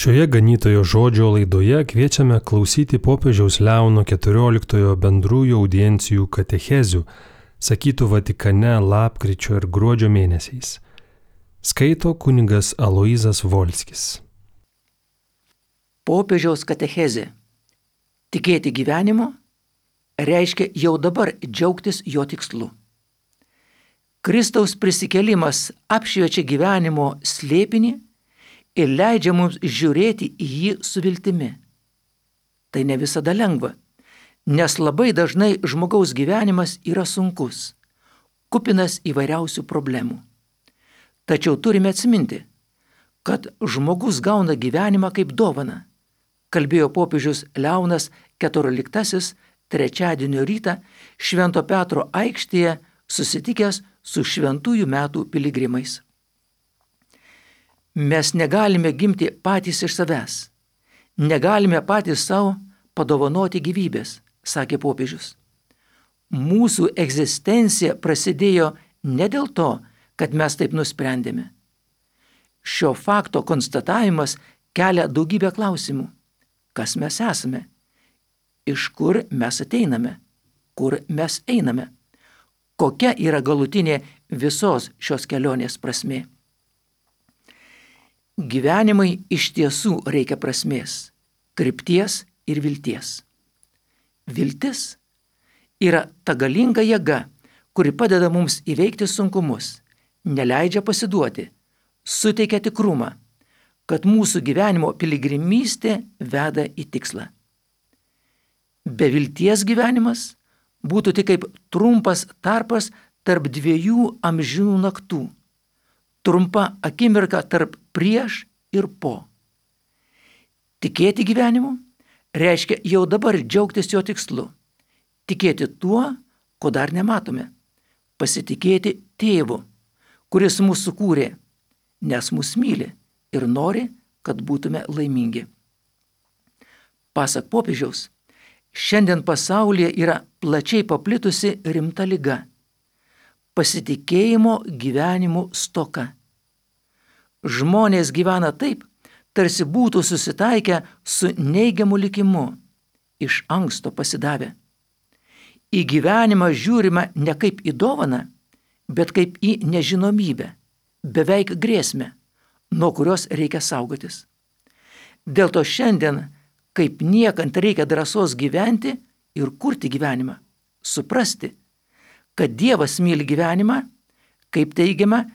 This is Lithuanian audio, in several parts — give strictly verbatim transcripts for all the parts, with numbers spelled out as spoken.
Šioje ganytojo žodžio laidoje kviečiame klausyti popiežiaus Leono keturioliktojo bendrųjų audiencijų katechezių, sakytų Vatikane lapkričio ir gruodžio mėnesiais. Skaito kunigas Aloyzas Volskis. Popiežiaus katechezė. Tikėti gyvenimu reiškia jau dabar džiaugtis jo tikslu. Kristaus prisikėlimas apšviečia gyvenimo slėpinį ir leidžia mums žiūrėti į jį su viltimi. Tai ne visada lengva, nes labai dažnai žmogaus gyvenimas yra sunkus, kupinas įvairiausių problemų. Tačiau turime atsiminti, kad žmogus gauna gyvenimą kaip dovaną, kalbėjo popiežius Leonas keturioliktasis trečiadienio rytą Švento Petro aikštėje susitikęs su šventųjų metų piligrimais. Mes negalime gimti patys iš savęs, negalime patys savo padovanoti gyvybės, sakė popiežius. Mūsų egzistencija prasidėjo ne dėl to, kad mes taip nusprendėme. Šio fakto konstatavimas kelia daugybę klausimų. Kas mes esame? Iš kur mes ateiname? Kur mes einame? Kokia yra galutinė visos šios kelionės prasmė? Gyvenimai iš tiesų reikia prasmės, krypties ir vilties. Viltis yra ta galinga jėga, kuri padeda mums įveikti sunkumus, neleidžia pasiduoti, suteikia tikrumą, kad mūsų gyvenimo piligrimystė veda į tikslą. Be vilties gyvenimas būtų tik kaip trumpas tarpas tarp dviejų amžinų naktų, trumpa akimirka tarp prieš ir po. Tikėti gyvenimu reiškia jau dabar džiaugtis jo tikslu, tikėti tuo, ko dar nematome, pasitikėti tėvu, kuris mus sukūrė, nes mus myli ir nori, kad būtume laimingi. Pasak popiežiaus, šiandien pasaulyje yra plačiai paplitusi rimta liga – pasitikėjimo gyvenimu stoka. Žmonės gyvena taip, tarsi būtų susitaikę su neigiamu likimu, iš anksto pasidavę. Į gyvenimą žiūrima ne kaip į dovaną, bet kaip į nežinomybę, beveik grėsmę, nuo kurios reikia saugotis. Dėl to šiandien kaip niekant reikia drąsos gyventi ir kurti gyvenimą, suprasti, kad Dievas myli gyvenimą, kaip teigiama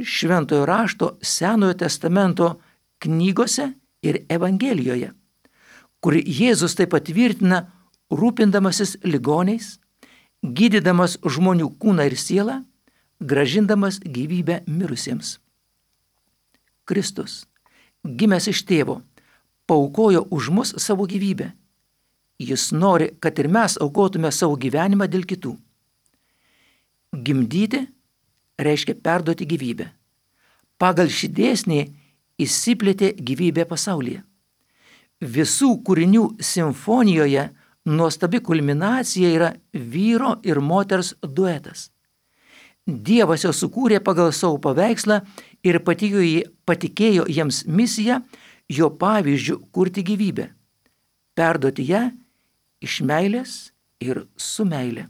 Šventojo rašto Senojo testamento knygose ir Evangelijoje, kur Jėzus taip patvirtina rūpindamasis ligoniais, gydydamas žmonių kūną ir sielą, grąžindamas gyvybę mirusiems. Kristus, gimęs iš tėvo, paaukojo už mus savo gyvybę. Jis nori, kad ir mes aukotume savo gyvenimą dėl kitų. Gimdyti reiškia perduoti gyvybę. Pagal šį dėsnį įsiplėtė gyvybė pasaulyje. Visų kūrinių simfonijoje nuostabi kulminacija yra vyro ir moters duetas. Dievas jau sukūrė pagal savo paveikslą ir patikėjo jiems misiją jo pavyzdžių kurti gyvybę, perduoti ją iš meilės ir su meile.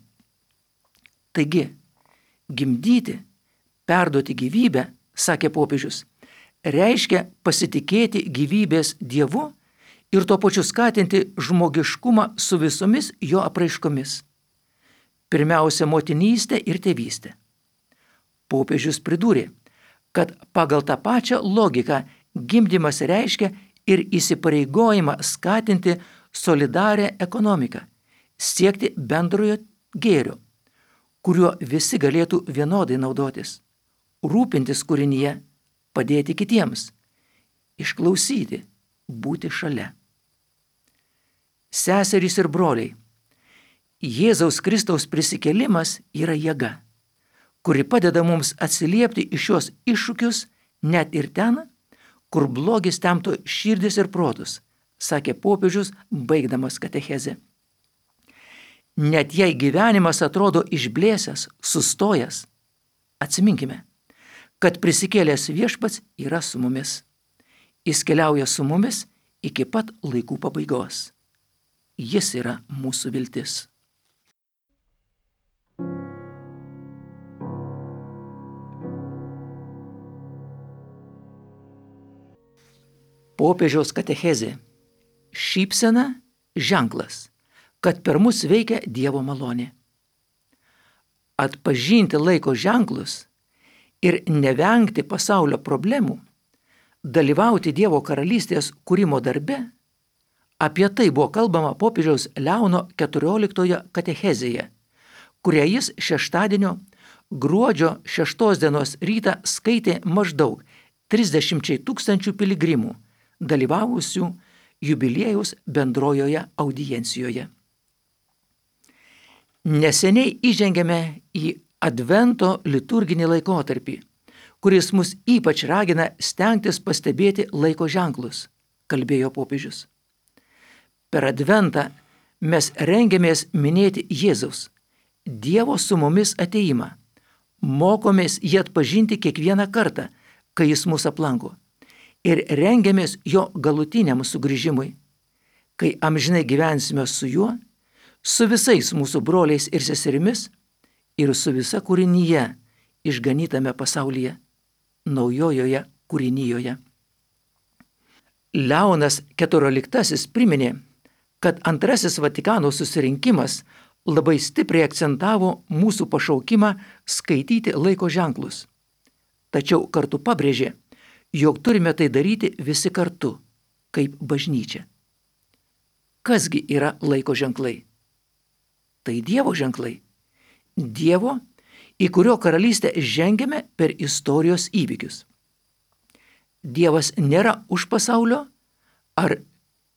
Taigi, gimdyti, perduoti gyvybę, sakė popiežius, reiškia pasitikėti gyvybės Dievu ir tuo pačiu skatinti žmogiškumą su visomis jo apraiškomis. Pirmiausia, motinystė ir tėvystė. Popiežius pridūrė, kad pagal tą pačią logiką gimdymas reiškia ir įsipareigojimą skatinti solidarią ekonomiką, siekti bendrojo gėrio, kuriuo visi galėtų vienodai naudotis, rūpintis kūrinyje, padėti kitiems, išklausyti, būti šalia. Seserys ir broliai, Jėzaus Kristaus prisikėlimas yra jėga, kuri padeda mums atsiliepti į šios iššūkius net ir ten, kur blogis temto širdis ir protus, sakė popiežius, baigdamas katechezę. Net jei gyvenimas atrodo išblėsęs, sustojęs, atsiminkime, kad prisikėlęs viešpats yra su mumis. Jis keliauja su mumis iki pat laikų pabaigos. Jis yra mūsų viltis. Popiežiaus katechezė. Šypsena ženklas, kad per mus veikia Dievo malonė. Atpažinti laiko ženklus ir nevengti pasaulio problemų, dalyvauti Dievo karalystės kūrimo darbe, apie tai buvo kalbama popiežiaus Leono keturioliktojo katechezėje, kurią jis šeštadienio gruodžio šeštos dienos rytą skaitė maždaug trisdešimčiai tūkstančių piligrimų, dalyvavusių jubiliejaus bendrojoje audiencijoje. Neseniai įžengėme į Advento liturginį laikotarpį, kuris mus ypač ragina stengtis pastebėti laiko ženklus, kalbėjo popiežius. Per Adventą mes rengiamės minėti Jėzaus, Dievo su mumis ateimą, mokomės jį atpažinti kiekvieną kartą, kai jis mus aplanko, ir rengiamės jo galutiniam sugrįžimui, kai amžinai gyvensime su juo, su visais mūsų broliais ir seserimis ir su visa kūrinyje išganytame pasaulyje, naujojoje kūrinyjoje. Leonas keturioliktasis priminė, kad antrasis Vatikano susirinkimas labai stipriai akcentavo mūsų pašaukimą skaityti laiko ženklus, tačiau kartu pabrėžė, jog turime tai daryti visi kartu, kaip bažnyčia. Kasgi yra laiko ženklai? Tai Dievo ženklai. Dievo, į kurio karalystę žengiame per istorijos įvykius. Dievas nėra už pasaulio ar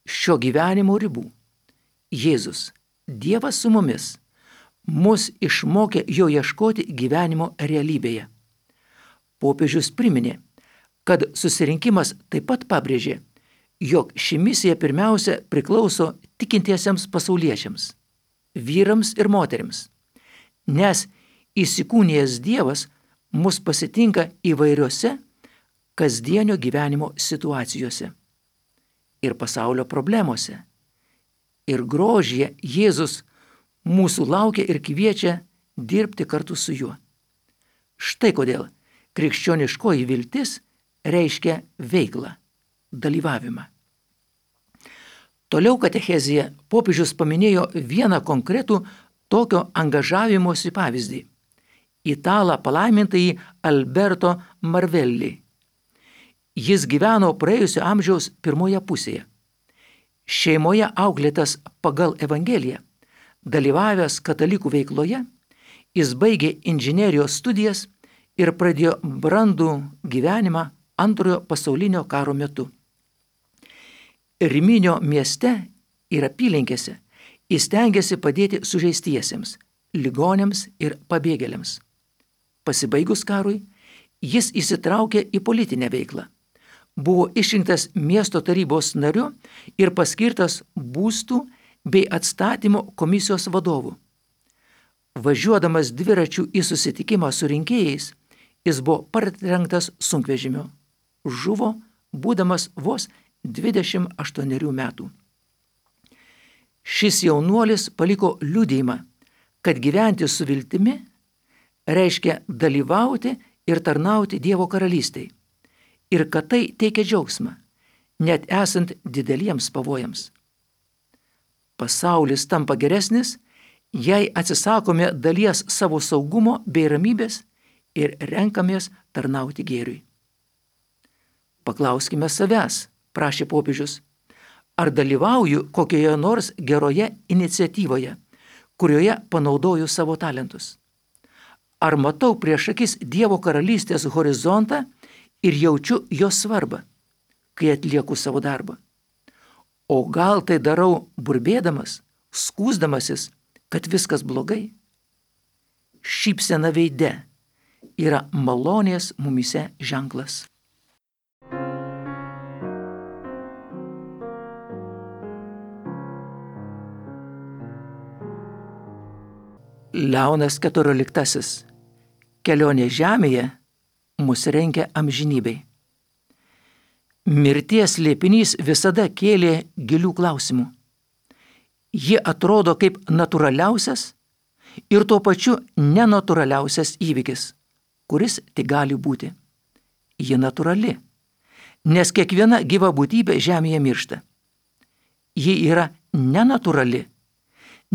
šio gyvenimo ribų. Jėzus, Dievas su mumis, mus išmokė jo ieškoti gyvenimo realybėje. Popiežius priminė, kad susirinkimas taip pat pabrėžė, jog ši misija pirmiausia priklauso tikintiesiems pasauliečiams, vyrams ir moterims, nes įsikūnijęs Dievas mus pasitinka įvairiose kasdienio gyvenimo situacijose ir pasaulio problemose. Ir grožyje Jėzus mūsų laukia ir kviečia dirbti kartu su juo. Štai kodėl krikščioniškoji viltis reiškia veiklą, dalyvavimą. Toliau katechezėje popiežius paminėjo vieną konkretų tokio angažavimosi pavyzdį – italą palaimintąjį Alberto Marvelli. Jis gyveno praėjusio amžiaus pirmoje pusėje. Šeimoje auklėtas pagal Evangeliją, dalyvavęs katalikų veikloje, jis baigė inžinerijos studijas ir pradėjo brandų gyvenimą Antrojo pasaulinio karo metu. Riminio mieste ir apylinkėse jis stengėsi padėti sužeistiesiems, ligoniams ir pabėgėliams. Pasibaigus karui, jis įsitraukė į politinę veiklą. Buvo išrinktas miesto tarybos nariu ir paskirtas būstų bei atstatymo komisijos vadovu. Važiuodamas dviračiu į susitikimą su rinkėjais, jis buvo partrenktas sunkvežimiu. Žuvo, būdamas vos dvidešimt aštuonerių metų. Šis jaunuolis paliko liudijimą, kad gyventi su viltimi reiškia dalyvauti ir tarnauti Dievo karalystei ir kad tai teikia džiaugsmą, net esant dideliems pavojams. Pasaulis tampa geresnis, jei atsisakome dalies savo saugumo bei ramybės ir renkamės tarnauti gėriui. Paklauskime savęs, prašė popiežius, ar dalyvauju kokioje nors geroje iniciatyvoje, kurioje panaudoju savo talentus. Ar matau prieš akis Dievo karalystės horizontą ir jaučiu jos svarbą, kai atlieku savo darbą. O gal tai darau burbėdamas, skųsdamasis, kad viskas blogai? Šypsena veide yra malonės mumyse ženklas. Leonas keturioliktasis. Kelionė žemėje mus rengia amžinybei. Mirties slėpinys visada kėlė gilių klausimų. Ji atrodo kaip natūraliausias ir tuo pačiu nenatūraliausias įvykis, kuris tik gali būti. Ji natūrali, nes kiekviena gyva būtybė žemėje miršta. Ji yra nenatūrali,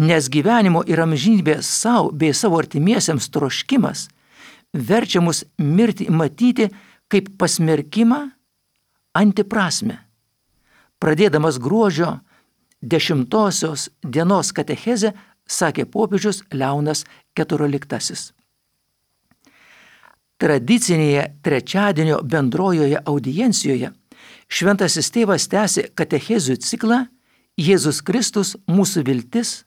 nes gyvenimo ir amžinybės savo bei savo artimiesiems troškimas verčia mus mirtį matyti kaip pasmerkimą antiprasmę. Pradėdamas gruodžio dešimtosios dienos katechezę, sakė popiežius Leonas keturioliktasis. Tradicinėje trečiadienio bendrojoje audiencijoje šventasis tėvas tęsė katechezių ciklą Jėzus Kristus mūsų viltis,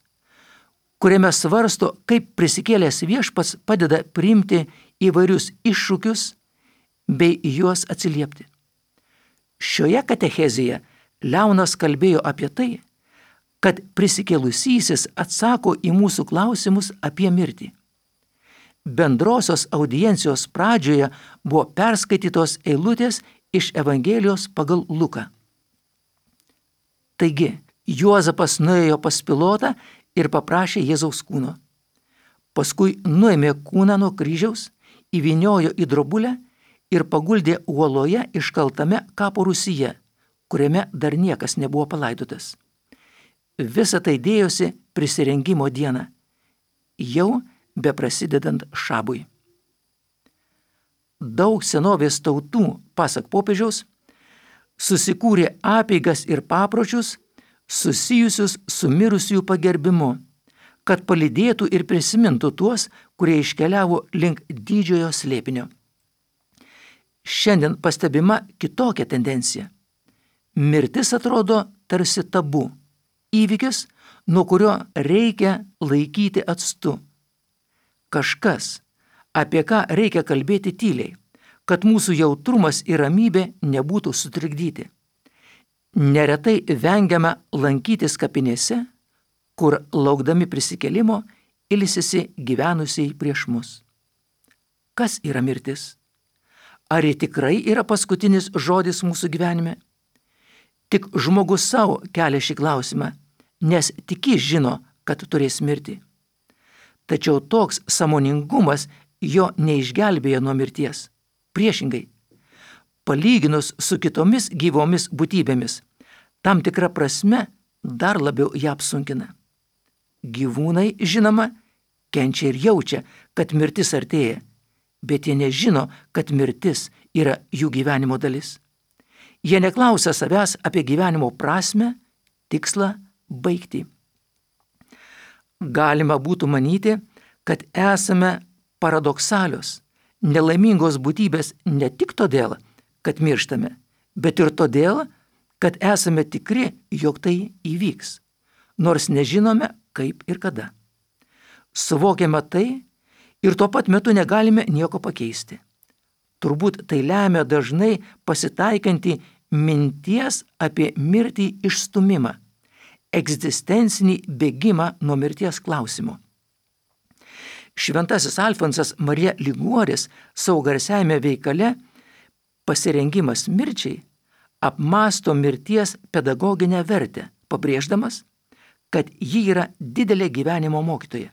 kuriame svarsto, kaip prisikėlęs viešpats padeda priimti įvairius iššūkius bei juos atsiliepti. Šioje katechezėje Leonas kalbėjo apie tai, kad prisikėlusysis atsako į mūsų klausimus apie mirtį. Bendrosios audiencijos pradžioje buvo perskaitytos eilutės iš Evangelijos pagal Luką. Taigi, Juozapas nuėjo pas Pilotą ir paprašė Jėzaus kūno. Paskui nuėmė kūną nuo kryžiaus, įvyniojo į drobulę ir paguldė uoloje iškaltame kapo rūsyje, kuriame dar niekas nebuvo palaidotas. Visa tai dėjosi prisirengimo dieną, jau beprasidedant šabui. Daug senovės tautų, pasak popiežiaus, susikūrė apeigas ir papročius susijusius su mirusiųjų pagerbimu, kad palydėtų ir prisimintų tuos, kurie iškeliavo link didžiojo slėpinio. Šiandien pastebima kitokia tendencija. Mirtis atrodo tarsi tabu, įvykis, nuo kurio reikia laikyti atstu. Kažkas, apie ką reikia kalbėti tyliai, kad mūsų jautrumas ir ramybė nebūtų sutrikdyti. Neretai vengiame lankytis kapinėse, kur laukdami prisikėlimo ilsisi gyvenusiai prieš mus. Kas yra mirtis? Ar ji tikrai yra paskutinis žodis mūsų gyvenime? Tik žmogus savo kelia šį klausimą, nes tik jis žino, kad turės mirti. Tačiau toks sąmoningumas jo neišgelbėja nuo mirties. Priešingai, palyginus su kitomis gyvomis būtybėmis, tam tikra prasme dar labiau ją apsunkina. Gyvūnai, žinoma, kenčia ir jaučia, kad mirtis artėja, bet jie nežino, kad mirtis yra jų gyvenimo dalis. Jie neklausia savęs apie gyvenimo prasmę, tikslą, baigtį. Galima būtų manyti, kad esame paradoksalios, nelaimingos būtybės ne tik todėl, kad mirštame, bet ir todėl, kad esame tikri, jog tai įvyks, nors nežinome kaip ir kada. Suvokiame tai ir tuo pat metu negalime nieko pakeisti. Turbūt tai lemia dažnai pasitaikantį minties apie mirtį išstumimą, egzistencinį bėgimą nuo mirties klausimo. Šventasis Alfonsas Marija Liguoris savo garsiajame veikale Pasirengimas mirčiai apmąsto mirties pedagoginę vertę, pabrėždamas, kad ji yra didelė gyvenimo mokytoja.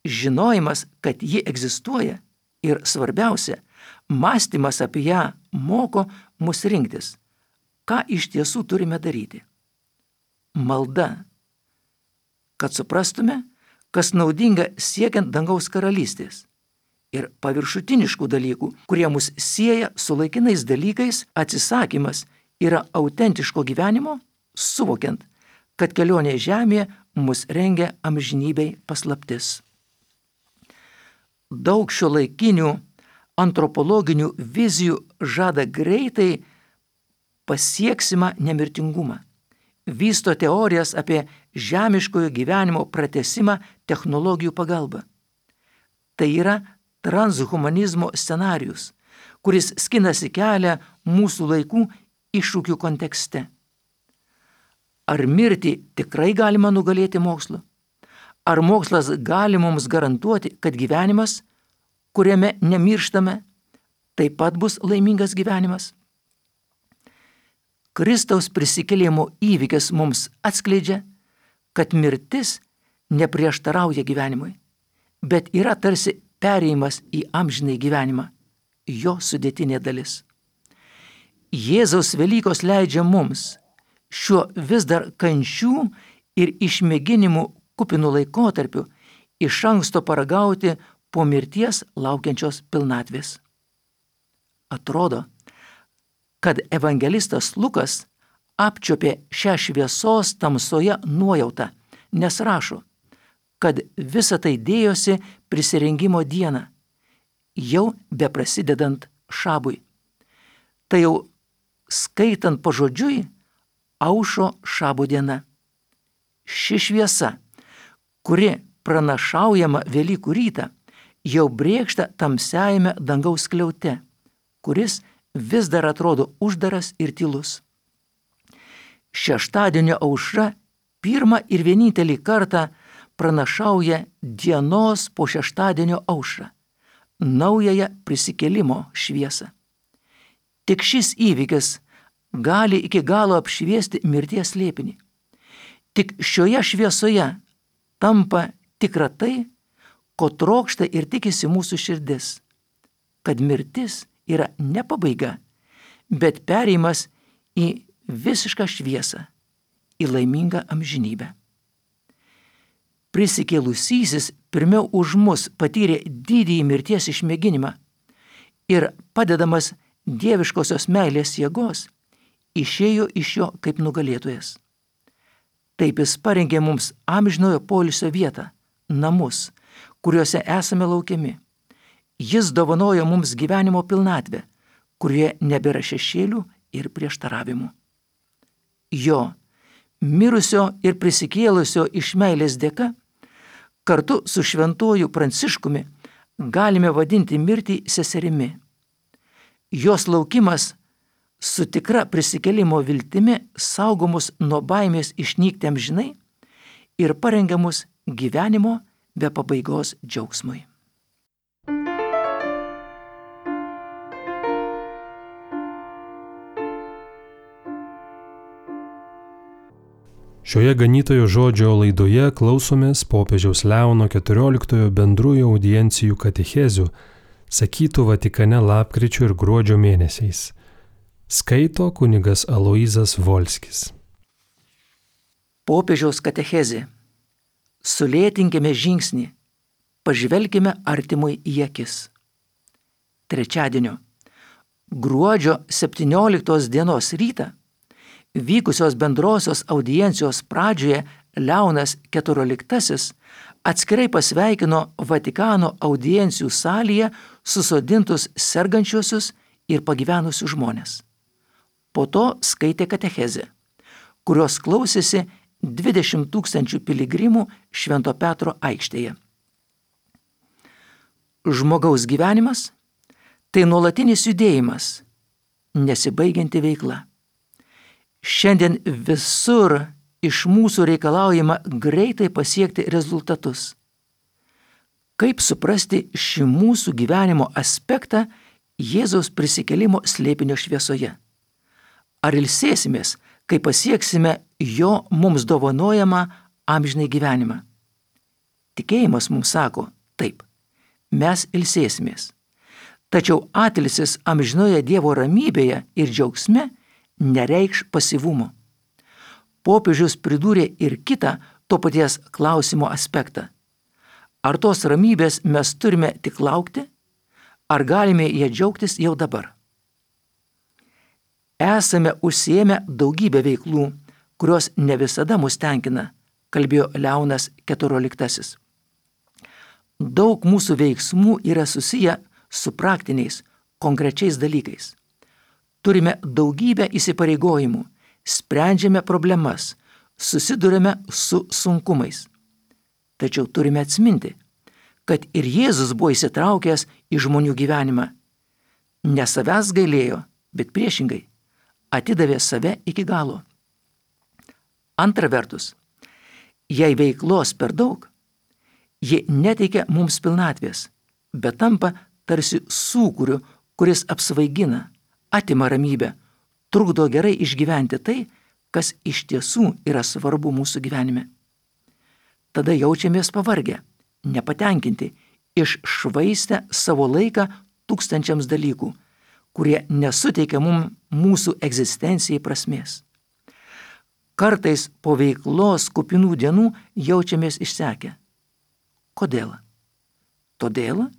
Žinojimas, kad ji egzistuoja ir svarbiausia, mąstymas apie ją moko mus rinktis, ką iš tiesų turime daryti. Malda, kad suprastume, kas naudinga siekiant dangaus karalystės, ir paviršutiniškų dalykų, kurie mus sieja su laikinais dalykais, atsisakymas yra autentiško gyvenimo, suvokiant, kad kelionė žemėje mus rengia amžinybei paslaptis. Daug šiuolaikinių antropologinių vizijų žada greitai pasieksimą nemirtingumą. Vysto teorijas apie žemiškojo gyvenimo pratesimą technologijų pagalba. Tai yra transhumanizmo scenarijus, kuris skinasi kelią mūsų laikų iššūkių kontekste. Ar mirtį tikrai galima nugalėti mokslu? Ar mokslas gali mums garantuoti, kad gyvenimas, kuriame nemirštame, taip pat bus laimingas gyvenimas? Kristaus prisikėlimo įvykis mums atskleidžia, kad mirtis neprieštarauja gyvenimui, bet yra tarsi perėjimas į amžinai gyvenimą, jo sudėtinė dalis. Jėzaus Velykos leidžia mums šiuo vis dar kančių ir išmėginimų kupinų laikotarpiu iš anksto paragauti po mirties laukiančios pilnatvės. Atrodo, kad evangelistas Lukas apčiopė šią šviesos tamsoje nuojautą, nes rašo, kad visa tai dėjosi prisirengimo dieną, jau beprasidedant šabui. Tai jau skaitant pažodžiui, aušo šabo diena. Ši šviesa, kuri pranašaujama Velykų rytą, jau brėkšta tamsiajame dangaus skliaute, kuris vis dar atrodo uždaras ir tylus. Šeštadienio aušra pirmą ir vienintelį kartą pranašauja dienos po šeštadienio aušrą, naująją prisikėlimo šviesą. Tik šis įvykis gali iki galo apšviesti mirties slėpinį. Tik šioje šviesoje tampa tikra tai, ko trokšta ir tikisi mūsų širdis, kad mirtis yra ne pabaiga, bet perėjimas į visišką šviesą, į laimingą amžinybę. Prisikėlusysis pirmiau už mus patyrė didįjį mirties išmėginimą ir padedamas dieviškosios meilės jėgos išėjo iš jo kaip nugalėtojas. Taip jis parengė mums amžinojo poilsio vietą, namus, kuriuose esame laukiami. Jis dovanojo mums gyvenimo pilnatvę, kurioje nebėra šešėlių ir prieštaravimų. Jo, mirusio ir prisikėlusio iš meilės dėka, kartu su šventuoju Pranciškumi galime vadinti mirtį seserimi. Jos laukimas su tikra prisikėlimo viltimi saugomus nuo baimės išnykti amžinai ir parengiamus gyvenimo be pabaigos džiaugsmui. Šioje ganytojo žodžio laidoje klausomės popiežiaus Leono keturioliktojo bendrųjų audiencijų katechezių, sakytų Vatikane lapkričio ir gruodžio mėnesiais. Skaito kunigas Aloyzas Volskis. Popiežiaus katechezė. Sulėtinkime žingsnį, pažvelkime artimui į akis. Trečiadienio, gruodžio septynioliktos dienos rytą, vykusios bendrosios audiencijos pradžioje Leonas keturioliktasis atskirai pasveikino Vatikano audiencijų salėje susodintus sergančiuosius ir pagyvenusius žmonės. Po to skaitė katechezę, kurios klausėsi dvidešimt tūkstančių piligrimų Švento Petro aikštėje. Žmogaus gyvenimas – tai nuolatinis judėjimas, nesibaigianti veikla. Šiandien visur iš mūsų reikalaujama greitai pasiekti rezultatus. Kaip suprasti šį mūsų gyvenimo aspektą Jėzaus prisikėlimo slėpinio šviesoje? Ar ilsėsimės, kai pasieksime jo mums dovanojamą amžinai gyvenimą? Tikėjimas mums sako, taip, mes ilsėsimės. Tačiau atilsis amžinoje Dievo ramybėje ir džiaugsme nereikš pasyvumo. Popiežius pridūrė ir kitą to paties klausimo aspektą. Ar tos ramybės mes turime tik laukti, ar galime ją džiaugtis jau dabar? Esame užsiėmę daugybę veiklų, kurios ne visada mus tenkina, kalbėjo Leonas keturioliktasis. Daug mūsų veiksmų yra susiję su praktiniais, konkrečiais dalykais. Turime daugybę įsipareigojimų, sprendžiame problemas, susidurime su sunkumais. Tačiau turime atsiminti, kad ir Jėzus buvo įsitraukęs į žmonių gyvenimą. Ne savęs gailėjo, bet priešingai, atidavė save iki galo. Antra vertus, jei veiklos per daug, ji neteikia mums pilnatvės, bet tampa tarsi sūkuriu, kuris apsvaigina, atima ramybę, trukdo gerai išgyventi tai, kas iš tiesų yra svarbu mūsų gyvenime. Tada jaučiamės pavargę, nepatenkinti, iššvaistę savo laiką tūkstančiams dalykų, kurie nesuteikia mums mūsų egzistencijai prasmės. Kartais po veiklos kupinų dienų jaučiamės išsekę. Kodėl? Todėl,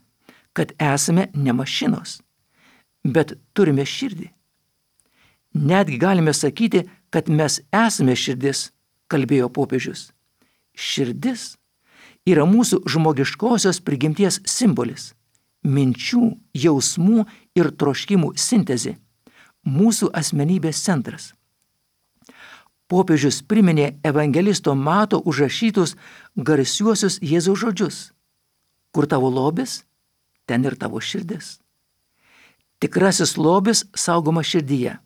kad esame ne mašinos, bet turime širdį. Netgi galime sakyti, kad mes esame širdis, kalbėjo popiežius. Širdis yra mūsų žmogiškosios prigimties simbolis, minčių, jausmų ir troškimų sintezė, mūsų asmenybės centras. Popiežius priminė evangelisto Mato užrašytus garsiuosius Jėzaus žodžius. Kur tavo lobis, ten ir tavo širdis. Tikrasis lobis saugoma širdyje,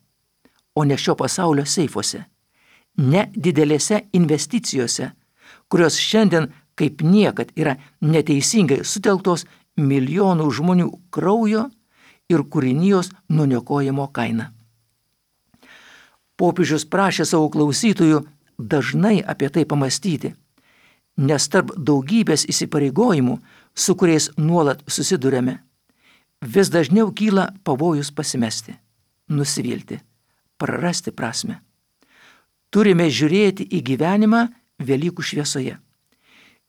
o ne šio pasaulio seifuose, ne didelėse investicijose, kurios šiandien kaip niekad yra neteisingai sutelktos milijonų žmonių kraujo ir kūrinijos nuniokojimo kaina. Popiežius prašė savo klausytojų dažnai apie tai pamastyti, nes tarp daugybės įsipareigojimų, su kuriais nuolat susidurėme, vis dažniau kyla pavojus pasimesti, nusivilti, prarasti prasmę. Turime žiūrėti į gyvenimą Velykų šviesoje.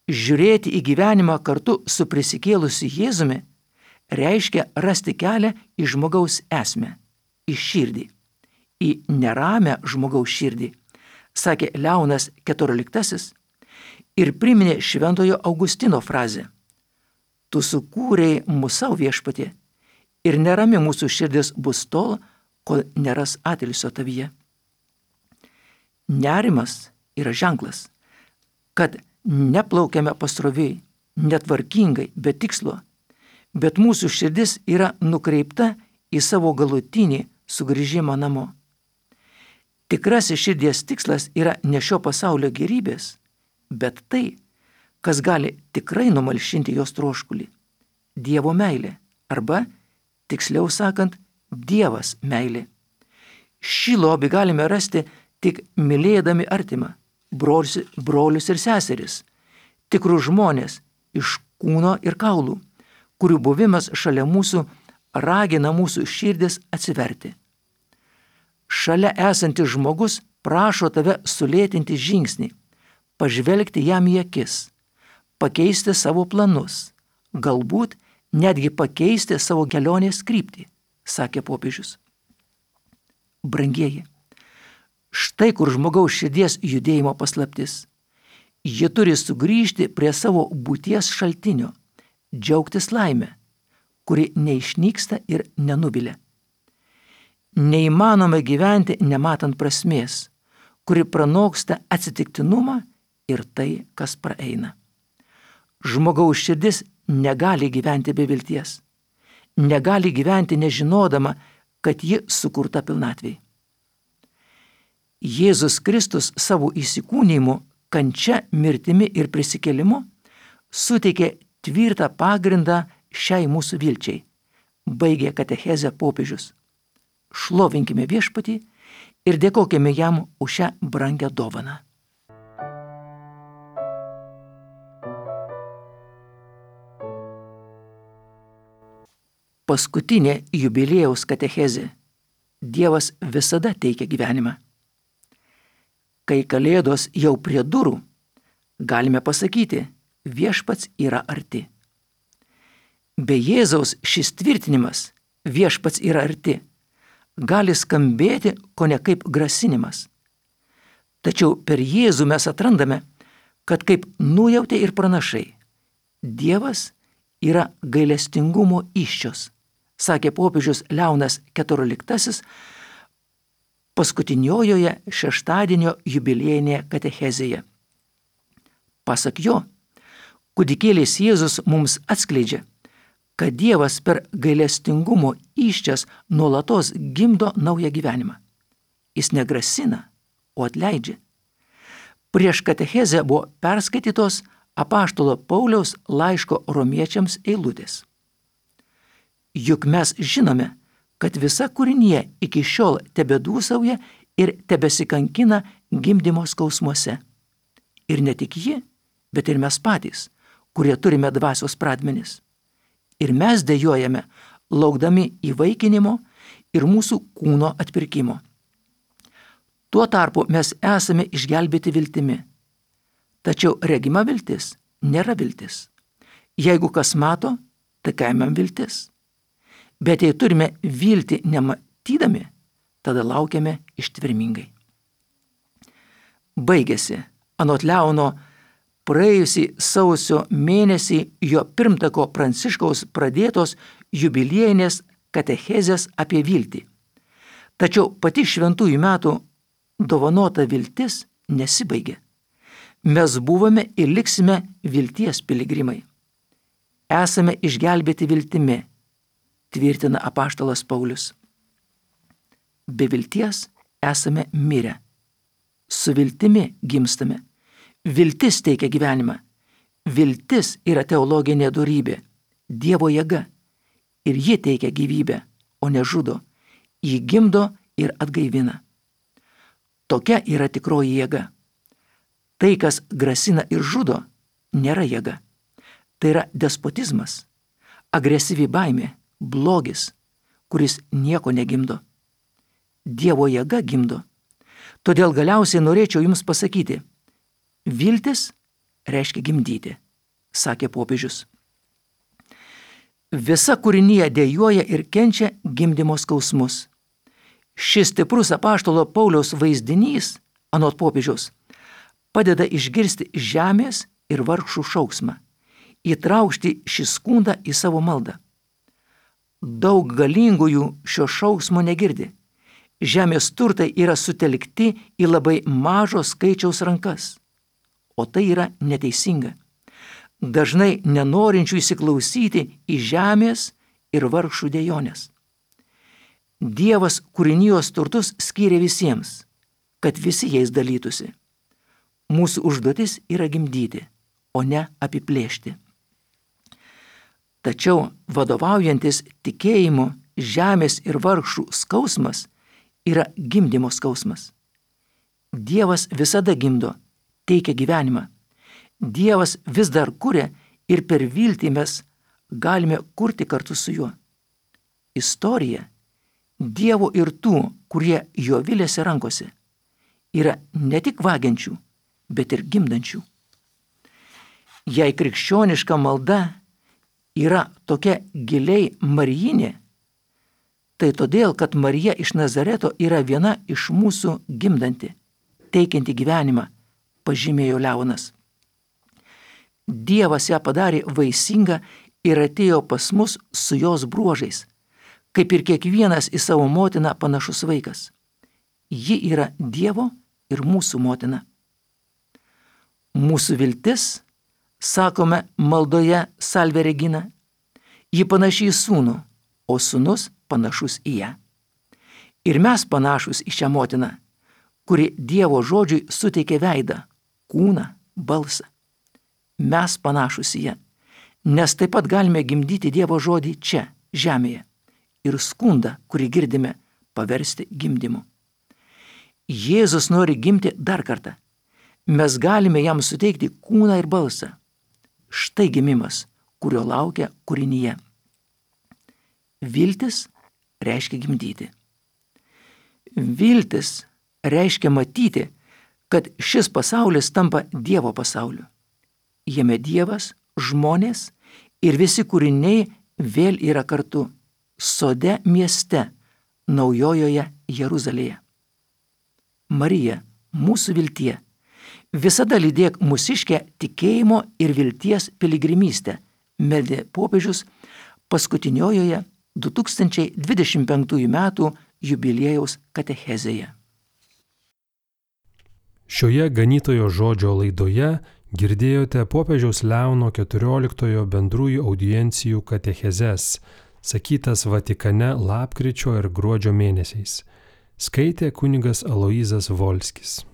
Žiūrėti į gyvenimą kartu su prisikėlusiu Jėzumi reiškia rasti kelią į žmogaus esmę, į širdį, į neramę žmogaus širdį, sakė Leonas keturioliktasis ir priminė šventojo Augustino frazę: Tu sukūrei mūsų savo viešpatie ir nerami mūsų širdis bus tol, kol neras atilsio tavyje. Nerimas yra ženklas, kad neplaukiame pasroviai, netvarkingai, be tikslo, bet mūsų širdis yra nukreipta į savo galutinį sugrįžimą namo. Tikrasis širdies tikslas yra ne šio pasaulio gerybės, bet tai, kas gali tikrai numalšinti jos troškulį – Dievo meilė, arba, tiksliau sakant, Dievas meilė. Šį lobį galime rasti tik mylėdami artimą, brolius, brolius ir seseris, tikrus žmonės iš kūno ir kaulų, kurių buvimas šalia mūsų ragina mūsų širdis atsiverti. Šalia esantis žmogus prašo tave sulėtinti žingsnį, pažvelgti jam į akis, pakeisti savo planus, galbūt netgi pakeisti savo kelionės kryptį, sakė popiežius. Brangieji, štai kur žmogaus širdies judėjimo paslaptis. Ji turi sugrįžti prie savo būties šaltinio, džiaugtis laimę, kuri neišnyksta ir nenuvilia. Neįmanoma gyventi nematant prasmės, kuri pranoksta atsitiktinumą ir tai, kas praeina. Žmogaus širdis negali gyventi be vilties, negali gyventi nežinodama, kad ji sukurta pilnatvei. Jėzus Kristus savo įsikūnijimu, kančia, mirtimi ir prisikėlimu suteikė tvirtą pagrindą šiai mūsų vilčiai, baigė katechezę popiežius. Šlovinkime viešpatį ir dėkokime jam už šią brangią dovaną. Paskutinė jubiliejaus katechezė. Dievas visada teikia gyvenimą. Kai Kalėdos jau prie durų, galime pasakyti, viešpats yra arti. Be Jėzaus šis tvirtinimas, viešpats yra arti, gali skambėti kone kaip grasinimas. Tačiau per Jėzų mes atrandame, kad kaip nujautė ir pranašai, Dievas yra gailestingumo įsčios, sakė popiežius Leonas keturioliktasis paskutiniojoje šeštadienio jubiliejinėje katechezėje. Pasak jo, kūdikėlis Jėzus mums atskleidžia, kad Dievas per gailestingumo įsčias nuolatos gimdo naują gyvenimą. Jis negrasina, o atleidžia. Prieš katechezę buvo perskaitytos apaštalo Pauliaus laiško romiečiams eilutės. Juk mes žinome, kad visa kūrinija iki šiol tebedūsauja ir tebesikankina gimdymo skausmuose. Ir ne tik ji, bet ir mes patys, kurie turime dvasios pradmenis. Ir mes dejojame, laukdami įvaikinimo ir mūsų kūno atpirkimo. Tuo tarpu mes esame išgelbėti viltimi. Tačiau regima viltis nėra viltis. Jeigu kas mato, tai kaimam viltis. Bet jei turime viltį nematydami, tada laukiame ištvermingai. Baigėsi, anot Leono, praėjusį sausio mėnesį jo pirmtako Pranciškaus pradėtos jubiliejinės katechezės apie viltį. Tačiau pati šventųjų metų dovanota viltis nesibaigė. Mes buvome ir liksime vilties piligrimai. Esame išgelbėti viltimi, tvirtina apaštalas Paulius. Be vilties esame mirę. Su viltimi gimstame. Viltis teikia gyvenimą. Viltis yra teologinė dorybė, Dievo jėga. Ir ji teikia gyvybę, o ne žudo. Ji gimdo ir atgaivina. Tokia yra tikroji jėga. Tai, kas grasina ir žudo, nėra jėga. Tai yra despotizmas, agresyvi baimė, blogis, kuris nieko negimdo. Dievo jėga gimdo. Todėl galiausiai norėčiau jums pasakyti, viltis reiškia gimdyti, sakė popiežius. Visa kūrinija dejuoja ir kenčia gimdymo skausmus. Šis stiprus apaštalo Pauliaus vaizdinys, anot popiežiaus, padeda išgirsti žemės ir vargšų šauksmą, įtraukti šį skundą į savo maldą. Daug galingųjų šio šauksmo negirdi. Žemės turtai yra sutelkti į labai mažo skaičiaus rankas, o tai yra neteisinga. Dažnai nenorinčių įsiklausyti į žemės ir vargšų dejonės. Dievas kūrinijos turtus skyrė visiems, kad visi jais dalytųsi. Mūsų užduotis yra gimdyti, o ne apiplėšti. Tačiau vadovaujantis tikėjimu žemės ir vargšų skausmas yra gimdymo skausmas. Dievas visada gimdo, teikia gyvenimą. Dievas vis dar kuria ir per viltį mes galime kurti kartu su juo. Istorija Dievo ir tų, kurie jo viliasi rankose, yra ne tik vagiančių, bet ir gimdančių. Jei krikščioniška malda yra tokia giliai marijinė, tai todėl, kad Marija iš Nazareto yra viena iš mūsų gimdanti, teikianti gyvenimą, pažymėjo Leonas. Dievas ją padarė vaisingą ir atėjo pas mus su jos bruožais, kaip ir kiekvienas į savo motiną panašus vaikas. Ji yra Dievo ir mūsų motina. Mūsų viltis, sakome maldoje Salve Regina, ji panaši į sūnų, o sūnus panašus į ją. Ir mes panašus į šią motiną, kuri Dievo žodžiui suteikė veidą, kūną, balsą. Mes panašus į ją, nes taip pat galime gimdyti Dievo žodį čia, žemėje, ir skundą, kurį girdime, paversti gimdymu. Jėzus nori gimti dar kartą. Mes galime jam suteikti kūną ir balsą. Štai gimimas, kurio laukia kūrinyje. Viltis reiškia gimdyti. Viltis reiškia matyti, kad šis pasaulis tampa Dievo pasauliu. Jame Dievas, žmonės ir visi kūriniai vėl yra kartu, sode mieste, naujojoje Jeruzalėje. Marija, mūsų viltie, visada lydėk mūsiškę tikėjimo ir vilties piligrimystę, meldė popiežius paskutiniojoje du tūkstančiai dvidešimt penktųjų metų jubiliejaus katechezėje. Šioje ganytojo žodžio laidoje girdėjote popiežiaus Leono keturioliktojo bendrųjų audiencijų katechezes, sakytas Vatikane lapkričio ir gruodžio mėnesiais. Skaitė kunigas Aloyzas Volskis.